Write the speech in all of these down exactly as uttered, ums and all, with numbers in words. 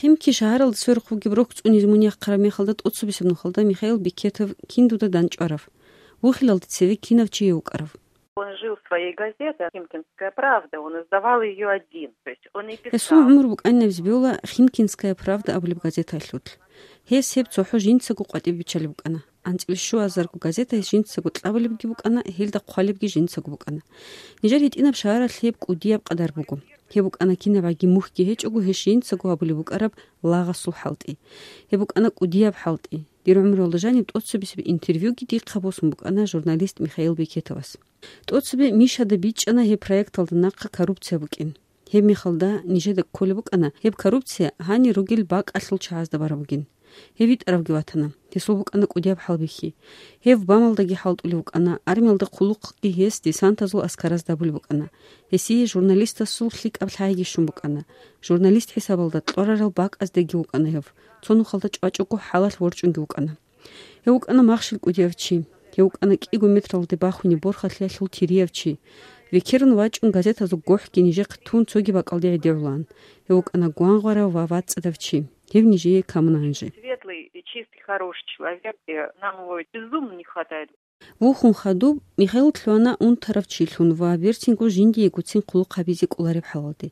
Химки шагьаралда сверухъ бугеб рохь цӀунизе мун яхъараб мехалда тӀоцебесеб нухалда Михаил Бекетов кин дуда дандчӀварав? Вухилалде цеве кинав чи гьев вукӀарав? Он жил своей газетой, «Химкинская правда», он издавал её один. То есть он и Гьесул писал. гӀумру букӀанин абизе бегьула «Химкинская правда» абулеб газеталъулъ. Гьес гьеб цохӀо жинцаго къватӀибе биччалеб букӀана. АнцӀила щуазарго газета гьес жинцаго кьабулебги букӀана, гьелда хъвалебги жинцаго букӀана. Нижер гьитӀинаб шагьаралъ гьеб кӀудияб къадар буго. Гьеб букӀана кинабгӀаги мухьги гьечӀого гьес жинцаго гьабулеб букӀараб лагъасул хӀалтӀи. Гьеб букӀана кӀудияб хӀалтӀи. Дир гӀумруялда жаниб тӀоцебесеб интервьюги дихъа босун букӀана журналист Михаил Бекетовас. ТӀоцебе Мишада бичӀчӀана гьеб проекталда нахъа коррупция букӀин. Гьеб мехалда нижеда кколеб букӀана гьеб коррупция гьанир ругел бакӀалъул чагӀазда бараб бугин. Гьеб витӀаравги ватана. Гьесул букӀана кӀудияб хӀалбихьи. Гьев БАМалдаги хӀалтӀулев вукӀана, армиялда хъулухъги гьес десантазул аскаразда абулеб букӀана. Гьесие журналистасул лъикӀаб лъайги щун букӀана. Журналист хӀисабалда кьорарал бакӀаздеги вукӀана гьев. Цо нухалда чӀвачӀого хӀалалъ ворчӀунги вукӀана. Гьев вукӀана махщел кӀудияв чи. Гьев вукӀана кӀиго метралде бахунеб борхалъиялъул тирияв чи. Векерун вачӀун газетазул гохӀги нижехъе тун цоги бакӀалде гӀедегӀулаан. Гьев вукӀана гвангъварав ва вацӀцӀадав чи. Гьев нижее камуна гьанже. Светлый и чистый, хороший человек, и нам его безумно не хватает. Вухун хадуб Михаил лъугьана унтарав чилъун ва берцинго жиндиего цин хъулухъ гьабизе кӀолареб хӀалалде.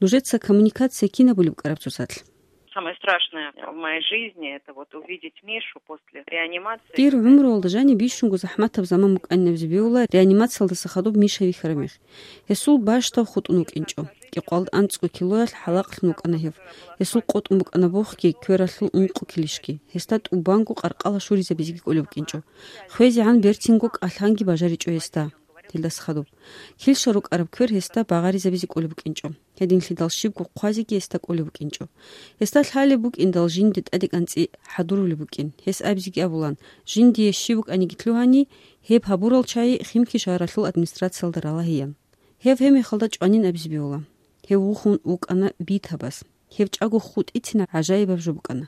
Нужеца коммуникация кин абулеб букӀараб цоцалъ? Самое страшное в моей жизни — это вот увидеть Мишу после реанимации. Дир гӀумруялда жаниб бищунго захӀматаб заман букӀанин абизе бегьула реанимациялдаса хадуб Миша вихьараб мех. Гьесул бащдаб хутӀун вукӀинчӀо. КӀикъвалда анцӀго килоялъ хӀалакълъун вукӀана гьев. Гьесул къотӀун букӀана бохги, квералъул ункъо килищги. Гьесда тӀубанго къаркъала щуризабизеги кӀолеб букӀинчӀо. ХвезегӀан берцинго кӀалъанги бажаричӀо гьесда. Гьелдаса хадуб. Килщал рукӀараб квер гьесда багъаризабизе кӀолеб букӀинчӀо. Гьединлъидал щибго хъвазеги гьесда кӀолеб букӀинчӀо. Гьесда лъалеб букӀиндал жинде тӀаде кӀанцӀи хӀадурулеб букӀин. Гьес абизеги абулан, жиндие щиб букӀаниги лъугьани, гьеб гьабурал чагӀи Химки шагьаралъул администрациялда ралагьеян. Гьев гьеб мехалда чӀванин абизе бегьула. Гьев вухун вукӀана битабас. Гьев чӀаго хутӀицин гӀажаибаб жо букӀана.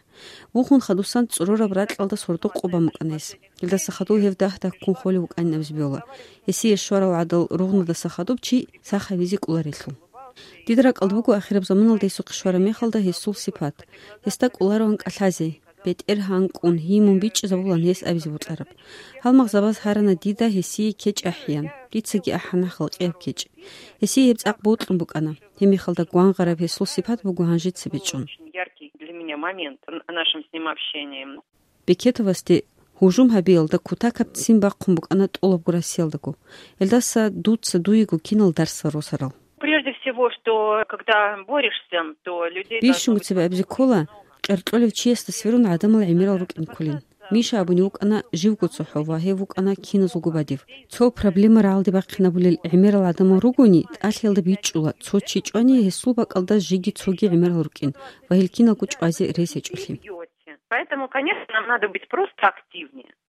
Вухун хадусан цӀорораб ракьалда сордо-къо бан букӀана гьес. Гьелдаса хадув гьев дагь-дагьккун холев вукӀанин абизе бегьула, гьесие щварал гӀадал ругънадаса хадуб чи сах гьавизе кӀоларелъул. Дида ракӀалда буго ахираб заманалда гьесухъе щвараб мехалда гьесул сипат. Гьесда кӀолароан кӀалъазе, бетӀергьан кӀун, гьимун бичӀчӀизабулан гьес абизе бокьараб. Гьалмагъзабаз гьарана дида гьесие кечӀ ахӀеян, дицаги ахӀана халкъияб кечӀ. Гьесие гьеб цӀакъ бокьун букӀана. Гьеб мехалда гвангъараб гьесул сипат буго гьанжеца бичӀчӀун. Очень яркий для меня момент в нашем с ним общении. Бекетовасде гьужум гьабиялда кутакаб ццин бахъун букӀана тӀолабго Россиялдаго. Гьелдаса дуца дуего кинал дарсал росарал. Прежде всего, что когда борешься, то людей должно быть... Бищунго цебе абизе ккола, къеркьолев чиясда сверун гӀадамал гӀемерал рукӀин кколин. Миша абуни вукӀана живго цохӀо ва гьев вукӀана киназулго бадиб. Цо проблема рагӀалде бахъинабулел гӀемерал гӀадамал ругони, тӀалъиялда бичӀчӀула, цо чи чӀвани гьесул бакӀалда жеги цоги гӀемерал рукӀин ва гьел киналго чӀвазе рес гьечӀолъи. Поэтому, конечно, нам надо быть просто активнее.